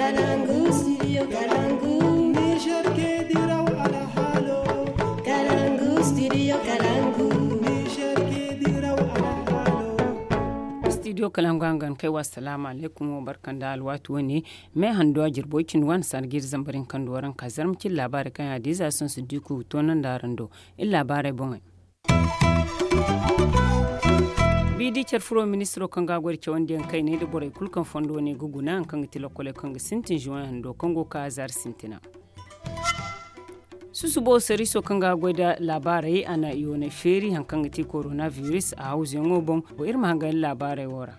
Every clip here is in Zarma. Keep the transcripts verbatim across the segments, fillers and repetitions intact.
Kalangu, studio Kalangu. Niger ke diraw alhalo. Kalangu, studio Kalangu. Niger ke diraw alhalo. Studio Kalangu hangan kai wa, assalamu alaikum, wa barkan da alwatu wane. Me handuwa jirbo cin wan sargir zambarin kan duwaran ka zarmacin labarai kan ya diza sun su diku tonan da rando. In labarai bongai. Bidi care furo ministiro kaŋ ga goy da cawandiyaŋ kayney nda borey kulu kaŋ fondo ne ga guna, haŋ kaŋ ga ti lokkoley kaŋ ga sintin juwan hando kaŋ go ga ka zaari sintina. Susubo sariiso kaŋ ga goy da laabaarey, a na yoonay feeri haŋ kaŋ ga ti koronabiris a hawzuyaŋo boŋ. Iri ma hangan laabaarey wo ra.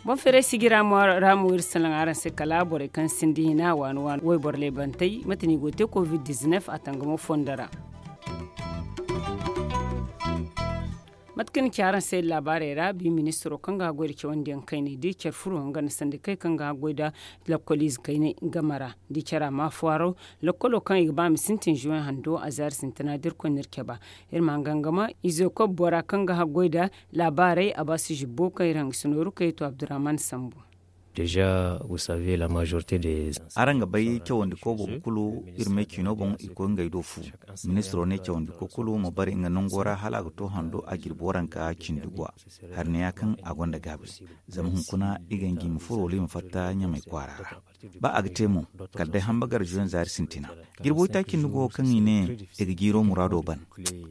Boŋ feeray sijira mo ra mo iri salaŋ araŋ se kala borey kaŋ sinda hina waani waani wayboro leebantey mate no i go ga te covid dizinef a tangamo fondo ra. Mate kaŋ ni ci araŋ se laabaarey ra, bi ministiro kaŋ ga goy da cawandiyaŋ kayney da care furo nga nda sandikey kaŋ ga goy da lakkoliize kayney game ra da care a ma faro lakkolo kaŋ i ga ba ma sintin juwen hando a zaari sintina da irkoy n'iri cabe. Iri ma hangan ga ma izo kob bora kaŋ ga goy da laabaarey a ba si zibbo kaŋ iri hangasino rukayeto abdurrahman sambu. Déjà, vous savez, la majorité des... Araŋ ga bay cawandi ko boobo kulu iri me ciino boŋ i koy ngey do fu. Ministiro ne cawandi ko kulu ma bare nga nango ra hala a ga to hando a jirbi waranka cindi gwa. Hari ne ya kaŋ a gonda gaabi zama hunkuna i ga ngi ma furo wala i ma fatta ɲamay kwaara ra. Ba a ga te mo kala day hamba gar juwen zaari sintina. Jirbo taaci nda go kaŋ i ne i ga jiiro muraado ban.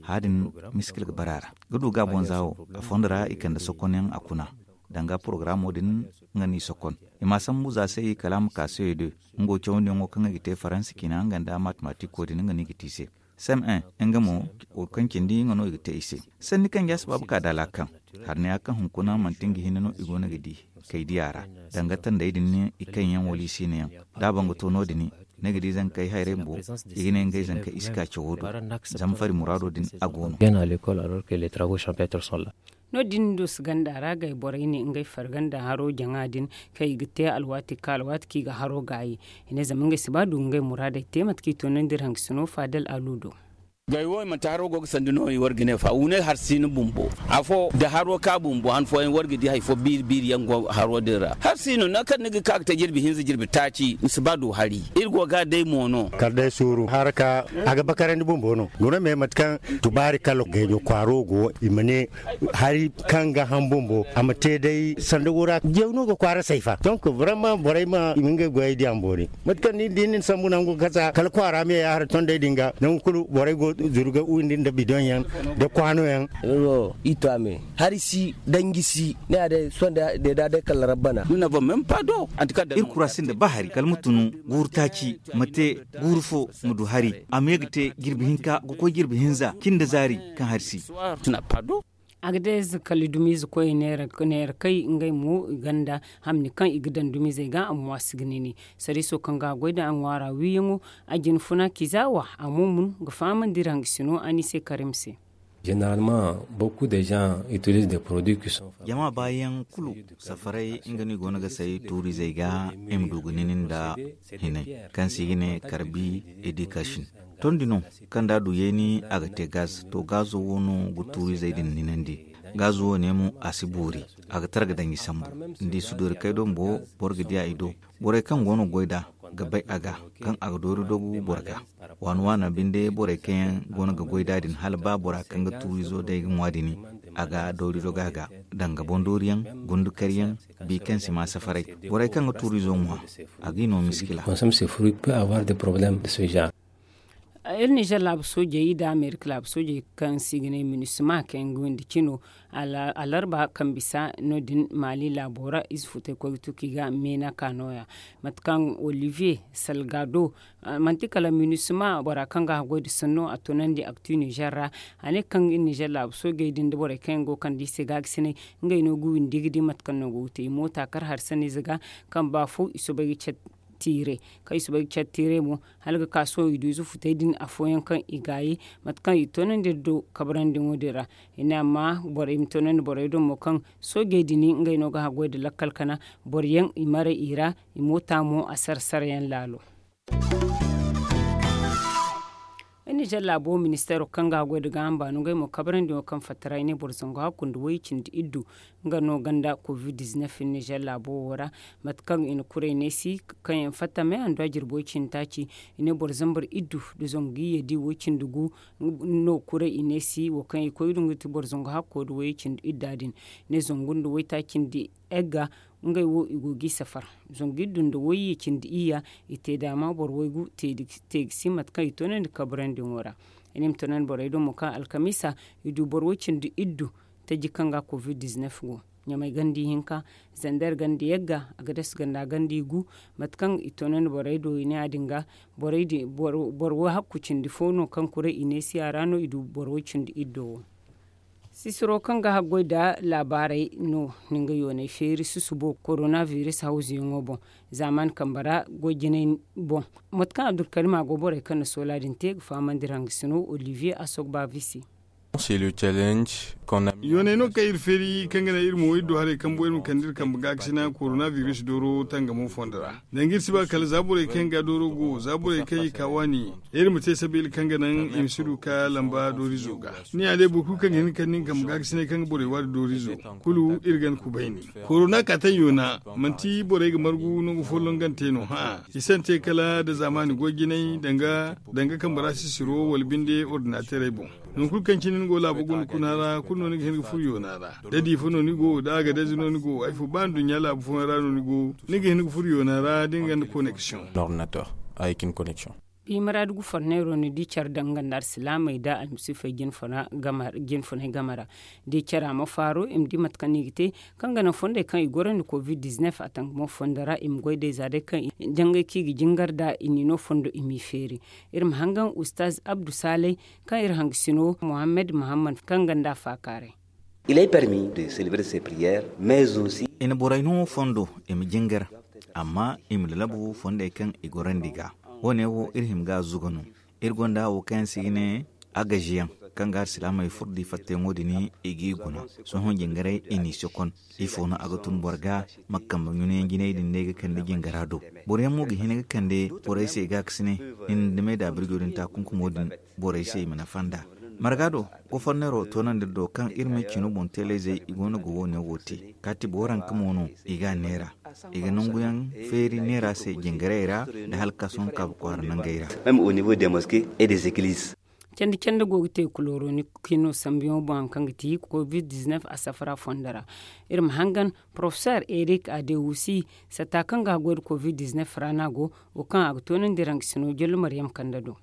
Haadin miskil ga bara ra ga du ga bonza wo a fondo ra i kande sokonyaŋ a kuna. Danga porogaraamo din nga n'i sokon i ma sambu za se i kala a ma ka se de. Nga wo cawandiyaŋo kaŋ i ga te faransa cina nga nda matematiko din nga no i ga te i se. Sem en nga mo wo kaŋ cindi nga no i ga te i se. Sanni kaŋ ja sabaabu ka da laakaŋ. Hari ne a kaŋ hunkuna manti nga hinne no i go no ga di kay diya ra. Danga tandey din i kaŋ yaŋ wala i siina yaŋ da a bangato no- din ni ga di zankey hayray bumbo i ga ne ngey zankey i si ka cawo do. Zama fari muraado din a go no. No- din dos ganda ra gay borey ne ngey farganda haro jaŋa din kaŋ i ga te alwaati ka alwaati kaŋ i ga haro gaayi. I ne zama ngey si ba du ngey muraadey te mate kaŋ i toonandi iri hangasino faadal alu do. Gay wo i manti haro go ga sandi no i war ga ne fa wune har si no bumbo afo da haro ka bumbo han fooyaŋ war ga di hari fo biiri biiri yaŋ go haro din ra har si no nangu kaŋ ni ga ka ga te jirbi hinza jirbi taaci ni si ba du hari. Iri go ga day mo no. Kala day suuru haraka a ga bakarandi bumbo no guna me mate kaŋ tubaari kala gayjo kwaaro go i ma ne hari kaŋ ga ham bumbo a ma te day sanda wura jew no ga kwaara sayfa donc vraiment borey ma i ma ngey goyey diya ma boori. Mate kaŋ ni di ni sambu nangu kasa kala kwaara me ya har tondey din ga nangu kulu borey go zuru ga windi nda bidon yaŋ da kwaano yaŋ. Iri to a me hari si danji si ne a day sonda day da day kala rabbana. Iri kura sinda ba hari kala ma tunu guuru taaci ma te guuru fo ma du hari a ma ye ga te jirbi hinka ga koy jirbi hinza cin da zaari kaŋ hari si. A ga day za kala dumiize koy neera kay ngey mo i ganda hamni kaŋ i ga daŋ dumiizey ga a ma waasi ga nini. Sariiso kaŋ ga a goy da a ŋwaara wiiyaŋo a jina funa kiza wa a mo mun ga fahamandi iri hangasino a ni se karim se. Généralement beaucoup de gens utilisent des produits qui sont jama baayaŋ kulu safaray nga no i go no ga say tuurizey ga i ma du ga nini nda hinay kaŋ se i ga ne karbi edikashin. Tondi no kaŋ da a du yeeni a ga te gaz to gazo wo no ga tuurizey din ninandi. Gazo wo ne mo a si boori a ga tara ga danji sambu. Ni di suduuri kay do bumbo boro ga diya i do. Borey kaŋ go no goy da ga bay a ga kaŋ a ga doori dogu boro ga. Waani waana binde borey kaŋ yaŋ go no ga goy da din hala ba bora kaŋ ga tuurizo day ga ŋwa dini a ga doori dogu a ga danga bondooriyaŋ gundukariyaŋ bi kaŋ si ma safaray. Borey kaŋ ga tuurizo ŋwa a ga i no miskila. Iri nizer laabu soojey nda amerika laabu soojey kaŋ se i ga ne minisma kaŋ yaŋ ga windi cino alarba kaŋ bisa no- din maali laabo ra ize futay koy ga tu kaŋ i ga meena ka nooya. Mate kaŋ olivier salgado manti kala minisma bora kaŋ ga haggoy nda sanno a toonandi aktu nizer ra. A ne kaŋ nizer laabu soojey din nda borey kaŋ yaŋ go ga kande i se ga ga sinay ngey no ga windi ga di mate kaŋ no go ga te i moota kar hari sanniize ga kaŋ ba fo i soobay ga care tiire. Kaŋ i soobay ga care tiire mo hala ga ka sohõ i du ize futey din afooyaŋ kaŋ i gaayi mate kaŋ i toonandi iri do kabrandi ŋo din ra. I ne amma borey ma toonandi borey do mo kaŋ soojey din ngey no ga haggoy nda lakkal kana boro yaŋ i maray i ra. I moota mo a sara sara yaŋ laalo. Nizer laabo ministeero kaŋ ga haggoy nda gaaham baano ngey mo kabrandi ŋo kaŋ fatta ra i ne boro zangu hakku nda way cindi iddu. Nga no ganda covid nizer laabo wo ra, mate kaŋ i na kuray neesi kaŋ yaŋ fatta me handu a jirbi way cindi taaci. I ne boro zambar iddu nda zangu iyye di way cindi gu no kuray i neesi wo kaŋ i koy du nga ti boro zangu hakko nda way cindi idda din. I ne zangu nda way taaci nda egga, ngey wo i go g'i safar. Zangu iddu nda way cindi iyya, i te daama boro waygu te ga si mate kaŋ i toonandi kabrandi ŋo ra. I ne i ma toonandi borey do mo kaŋ alkamiisa i du boro way cindi iddu taji kaŋ ga covid nizer go. Ɲamay ganda ihinka, zander ganda yagga, agades ganda ganda igu. Mate kaŋ i toonandi borey do i ne ya- din ga, boro wo hakku cindi fo no kaŋ kuray i neesi a ra no i du boro way cindi iddo wo. Sisiro kaŋ ga haggoy nda laabaarey no, ni nga yoonay feeri susubo koronabiris hawzuyaŋo boŋ. Zaamaani kambe ra goy jinay boŋ. Mate kaŋ abdulkarim a go borey kaŋ na soola din te ga fahamandi iri hangasino olivier asogba visi. Yoonay no kaŋ iri feeri kaŋ ga naŋ iri mo iri du haray kambo iri ma kande iri kambe gaakasina koronabiris dooro tangamo fondo ra. Danga iri si ba kala za borey kaŋ ga dooro go za borey kaŋ i ka waani, iri ma te sabiila kaŋ ga naŋ i ma si du ka lamba doorizo ga. Ni ya day boro kulu kaŋ ga hin ga kande nga kambe gaakasinay kaŋ ga borey waari doorizo, kulu iri ga ni kubayni. Korona kaataŋ yoona, manti borey ga margu nangu folloŋ gante no hã. I sante kala nda zaamaani goy jinay danga kambe ra sisiro wala binde ordinaterey boŋ. Nangu kulu kaŋ cine ni go laabo guna kuna ra kulu no ni ga hin ga furo yoona ra. Da diifa no ni go da agadez no ni go ay fo ba nduɲɲa laabu fooyaŋ ra no ni go, ni ga hin ga furo yoona ra da ni gonda koneksiyoŋ. Ordinateur avec une connexion. Bi maraadu gu forneero ni di care daŋ nga nda alsilaamey nda almasiifey jinfunay game ra. Da i cara ma faaru i ma di mate kaŋ no i ga te kaŋ ga naŋ fondey kaŋ i gorandi covid nizer a tangamo fondo ra i ma goy day za day kaŋ jangay kaŋ i ga jingar nd'a i n'i no fondo i m'i feeri. Iri ma hangan ustaz abdu saalay kaŋ iri hangasino muhammad muhammad kaŋ ganda faakaaray. Il est permis de celebrer ses prières mais aussi. I na borey no fondo i ma jingar, amma i ma lalabu fondey kaŋ i gorandi ga. Wo- ne wo iri hima ga zuga no. Iri gonda wo kaŋ yaŋ se i ga ne agaziyaŋ kaŋ ga alsilaamey furo da i fattayaŋo din i g'i guna. Sohõ jingaray i n'i sokon. Ifo no a ga tun boro ga? Ma kambe ɲunayaŋ jinay din no ay ga kande jingara do. Boroyaŋ mo ga hin ga kande borey se i ga a ga si ne, ni na dumey da birjo din ta kunkumo din borey se i ma nafa nd'a. Marga do, goforneero toonandi iri do kaŋ iri ma ay cino boŋ teeleyzey i go no ga wo- ne wo te. Kaati booranka mo no i ga a neera. I ga nanguyaŋ feeri neera se jingarey ra nda hala ka sohõ kaabu kwaara nangey ra. Même au niveau des mosquées et des églises. Candi candi go ga te kuloroni kino sambuyaŋo boŋ hari kaŋ ga ti covid nizer a safara fondo ra. Iri ma hangan porofeseer erik adewusi satta kaŋ ga haggoy nda covid nizer ra no a go, wo kaŋ a ga toonandi iri hangasino jallo maryam kande do.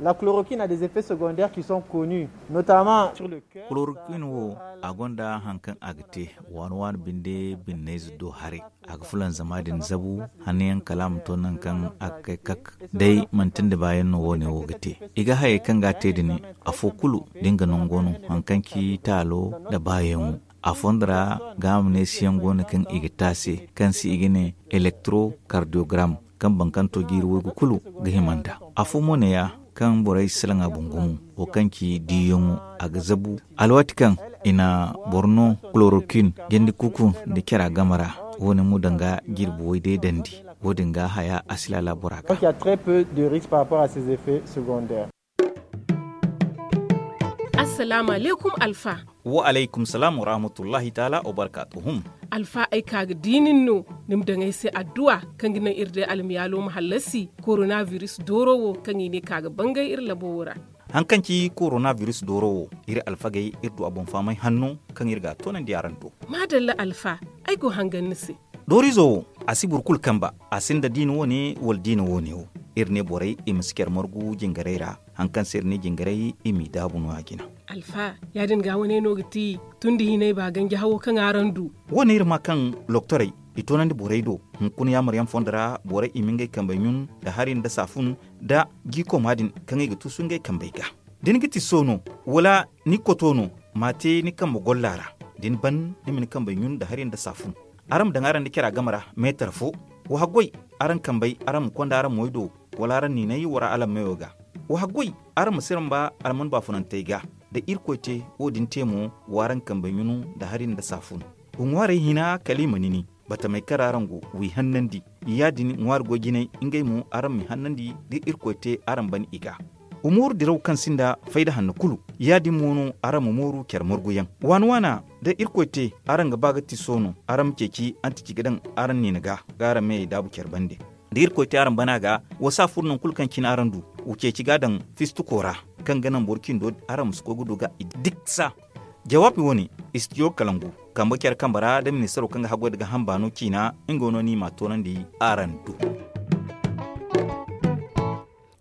La chloroquine a des effets secondaires qui sont connus, notamment sur le cœur. Chloroquine wo a gonda hari kaŋ a ga te waani waani binde binnayze do haray. A ga fulanzama din zabu hanno yaŋ kala a ma to nangu kaŋ a ga kay kak. Day manti nda baayaŋ no wo- ne wo ga te. I ga hayey kaŋ ga a te din, afo kulu da nga nango no hari kaŋ ci taalo nda baayaŋo. A fondo ra gaama neesiyaŋ go no kaŋ i ga te a se kaŋ se i ga ne elektrokardiyogaram, kaŋ bankanto jiiri waygu kulu ga hima nd'a. Afo mo neeya kaŋ borey si salaŋ a boŋ gumo, wo kaŋ ci diiyaŋo, a ga zabu. Alwaati kaŋ i na boro no chloroquine jandi kuku nda cara game ra, wo- ne mo danga jirbi way day dandi. Wo- din ga haya a si laala bora ga. Donc il y a très peu de risques par rapport à ces effets secondaires. Assalaamu alaykum alfa. Wa alaykum salaam wa rahmatullahi taala wa barkaatuhum. Alfa ay ka ga di nin no ni ma daŋ ay se adduwa kaŋ ga naŋ iri day almiyaalo ma hallasi koronabiris dooro wo kaŋ i ne ka ga bangay iri labo wo ra. Hari kaŋ ci koronabiris dooro wo, iri alfagey iri du a boŋ fahamay hanno kaŋ iri ga a toonandi araŋ do. Maadalla alfa, ay go hangan ni se. Doorizo wo, a si boro kulu kamba, a sinda diina wo- ne wala diina wo- ne wo. Iri ne borey i ma si care margu jingarey ra. Hari kaŋ se iri ne jingarey i m'i daabu no- ya jina. Alfa, ya- din ga wane no ga ti tun da hinay ba ganji hawo kaŋ araŋ du. Wo- ne iri ma kaŋ loktorey i toonandi borey do. Hunkuna yaamaryaŋ fondo ra borey i ma ngey kambey ɲun nda hari nda saafun nda jiikoma din kaŋ i ga tuusu ngey kambey ga. Da ni ga ti so no, wala ni koto no, ma a te ni kambe golla ra. Da ni ban ni ma ni kambey ɲun nda hari nda saafun. Araŋ ma daŋ araŋ nda cara game ra meetar fo. Wa haggoy, araŋ kambey araŋ ma konda araŋ moy do, wala araŋ niinay wara alammeyo ga. Wa haggoy, araŋ ma siramba alman baafunantey ga. Da irkoy te wo- din te mo, w'araŋ kambey ɲunu nda hari nda saafun. Wa ŋwaarey hina kala i ma nini. Batamey kaŋ ra araŋ go, w'i hannandi. Ya- din ŋwaari goy jinay ngey mo araŋ m'i hannandi da irkoy te araŋ ban i ga. Umooru diraw kaŋ sinda fayda hanno kulu. Ya- din mo no araŋ ma mooru care marguyaŋ waana waana. Da irkoy te araŋ ga ba ga ti soono araŋ ma ceeci antici ga daŋ araŋ niina ga ga araŋ meyey daabu care bande. Da irkoy te araŋ bana ga, wa si a furo nangu kulu kaŋ cine araŋ du. Wa ceeci ga a daŋ fistuko ra kaŋ ga naŋ boro cindo araŋ ma si koy ga du ga i diksa. Jawaabi wo- ne, istidiyo kalangu kambe care kambe ra da ministaro kaŋ ga haggoy nda gaaham baano ciina. Nga no no i m'a toonandi araŋ do.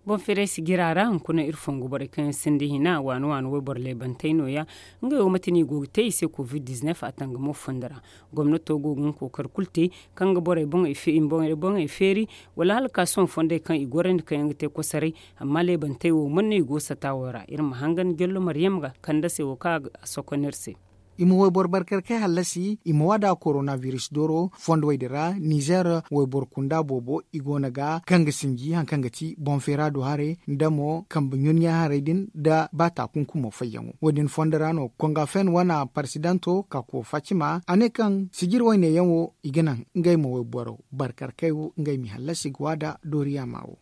Boŋ feeray si jira ra hunkuna iri fongu borey kaŋ yaŋ sinda hina waani waani wayboro leebantey nooya. Ngey wo mate no i go ga te i se covid-19 a tangamo fondo ra. Gomnato go ga nga kookari kulu te kaŋ ga borey boŋey feeri wala hala ka sohõ fondey kaŋ i gorandi kaŋ yaŋ ga te kosaray. Amma leebantey wo man no i go sata wo ra iri ma hangan jallo maryam ga kandasey wo kaŋ a ga a sokon iri se. I ma wayboro barkar kay hallasi i ma waada korona biris dooro fondowey din ra nizer wayboro kunda boobo i go no ga kaŋ ga sinji hari kaŋ ga ti boŋ feera do haray nda mo kambe ɲunɲa haray din nda ba taakunkumo fayyaŋo wo- din fondo ra no konga fen wane parsidanto kako fatima a ne kaŋ sijir wayne yaŋ wo i ga naŋ ngey ma wayboro barkar kay wo ngey ma i hallasi ga waada dooriya ma wo.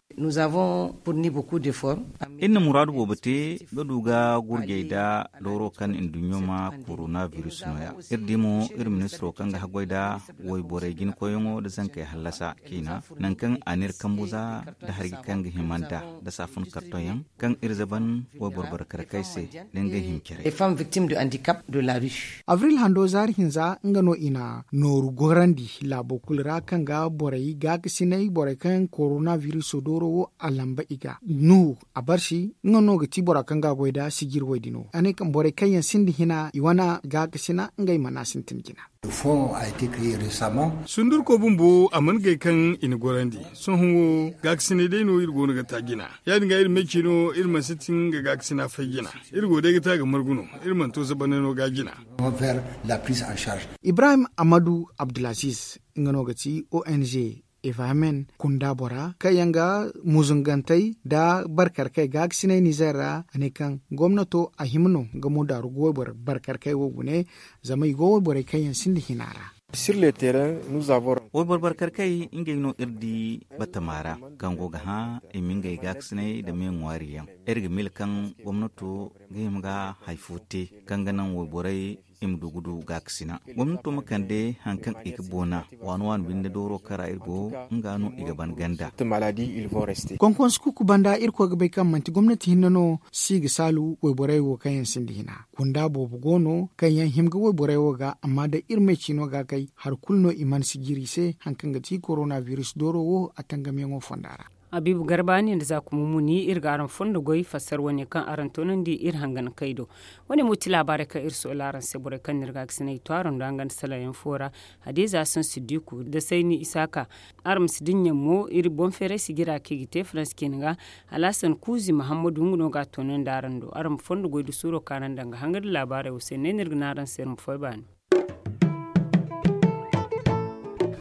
Iri na muraadu boobo te ga du ga gurjey nda dooro kaŋ nduɲɲo ma korona biris nooya. Iri di mo iri ministiro kaŋ ga haggoy nda wayborey jinakoyyaŋo nda zankey hallasa ciina nangu kaŋ a n'iri kambu za nda hari kaŋ ga hima nd'a nda saafun kartoŋ yaŋ kaŋ iri zaban wayboro barkarkey se nda ngey hima care. Abril hando zaari hinza nga no i na nooru gorandi laabo kulu ra kaŋ ga borey gaakasinay borey kaŋ yaŋ korona biriso dooro wo a lamba i ga nuhu a barsi nga no ga ti bora kaŋ ga a goy nda sijir woy din wo a ne kaŋ borey kaŋ yaŋ sinda hina i wane gaakasina ngey mana sintin jina. Sundurko bumbo a mana gay kaŋ i na gorandi. Sohõ wo gaakasinay day no iri go no ga ta jina. Ya- din ga iri me ciino iri mana sintin ga gaakasina fay jina. Iri go day ga ta ga margu no. Iri mana to zabanay no ga jina. Ibrahim amadu abdulaziz nga no ga ti ong evamen kunda bora kaŋ yaŋ ga muzungantey nda barkarkey gaakasinay nizer ra a ne kaŋ gomnato a hima no ga mo daaru goy boro barkarkey wo gune. Zama i go wayborey kaŋ yaŋ sinda hina ra. Wayboro barkarkey ngey no iri di batama ra kaŋ go ga hã i ma ngey gaakasinay nda me ŋwaari yaŋ. Iri ga miila kaŋ gomnato ga hima ga hari fo te kaŋ ga naŋ wayborey i ma du ga du gaakasina. Gomnato ma kande hari kaŋ i ga boona waani waani binde dooro kaŋ ra iri go nga no i ga ban ganda. Konkonsu kuuku banda irkoy ga bay kaŋ manti gomnati hinne no si ga saalu wayborey wo kaŋ yaŋ sinda hina kunda boobo go no kaŋ yaŋ hima ga wayborey wo ga amma day iri me ciino ga kay hari kulu no i mana si jiri i se hari kaŋ ga ti korona biris dooro wo a tangamyaŋo fonda ra. Habiibu garba ni nda za kuma muni iri ga araŋ fondo goy fassara wane kaŋ araŋ toonandi iri hangan kay do. Wane mo ti laabaarey kaŋ iri sohõ laaraŋ se borey kaŋ no iri ga a ga sinay to araŋ do hangan salaŋ yaŋ fo ra. Hadiza sansidiku nda sayni isaaka. Araŋ ma si dinya mo iri boŋ feeray sijira kaŋ i ga te faransi ciine ga. Alhasan kuuzi mahammadu nga no ga a toonandi araŋ do araŋ ma fondo goy da suuro kaŋ araŋ daŋ ga hanga nda laabaarey wo se ne no iri ga ne araŋ se iri ma fay baani.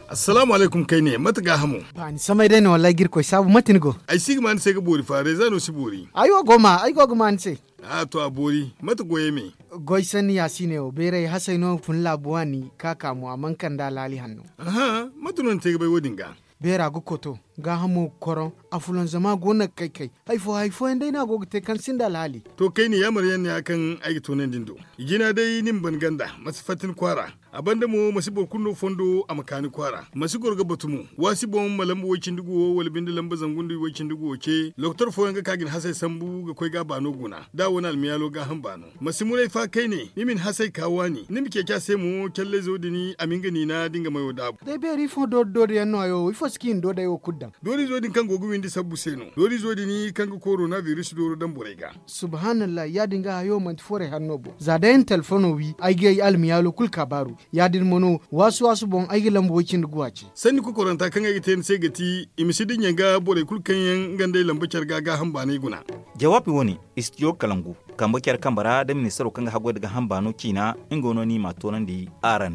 Assalaamu alaykum kayne mate gaahamo? Baani samay day no wallaahi ga irkoy saabu mate ni go? Ay si ga ma ni se ga boori fa reeza no si boori. Ay wo go ma ay go ga ma ni se. A to a boori. Mate goyey me? Goy sanni ya si ne wo beeray hasay no fun laabu waani ka ka mo a mana kande alhaali hanno. Aha, mate no ni te ga bay wo-din ga? Beera ga koto, gaahamo ga koroŋ, afulanzama go no ga kay-kay. Hari fo hari fooyaŋ day no a go ga te kaŋ sinda alhaali. To kayne yaamar yaŋ ne ya kaŋ ay ga toonandi ni do. I jina day ni ma ban ganda ma si fatta ni kwaara. A banda mo ma si boro kulu no fondo a ma ka ni kwaara ma si goro ga batu mo. Waasi boŋ ma lamba way-cindi guwo wala binde lamba zangu nda way-cindi guwo ce lokotor fooyaŋ ga ka ga ni hasey sambu ga koy ga a baano guna da a wane almiyaalo gaaham baano. Ma si muray fa kayne ni ma ni hasey ka waani ni ma ceeci a se mo callayzo din a ma nga niina da nga mayo daabu. Day beeri ifo doori doori yaŋ no hayo wo ifo si ka i na doodey wo kulu daŋ? Doorizo din kaŋ go ga windi sabbu se no doorizo din kaŋ ga korona biris dooro daŋ borey ga. Subhanallah ya- din ga hayo manti forey hanno boŋ za day ay na telefono wi ay ga ay almiyaalo kulu kaabaaru. Ya- din mo no waasu waasu boŋ ay ga lamba way-cindi guwa ce. Sanni kokoranta kaŋ ay ga te ni se ga ti i ma si dinya ga borey kulu kaŋ yaŋ nga nd'ey lamba care ga gaaham baanay guna. Jawaabi wo- ne, istidiyo kalangu kambe care kambe ra nda ministaro kaŋ ga haggoy nda gaaham baano ciina. Nga no no i m'a toonandi araŋ.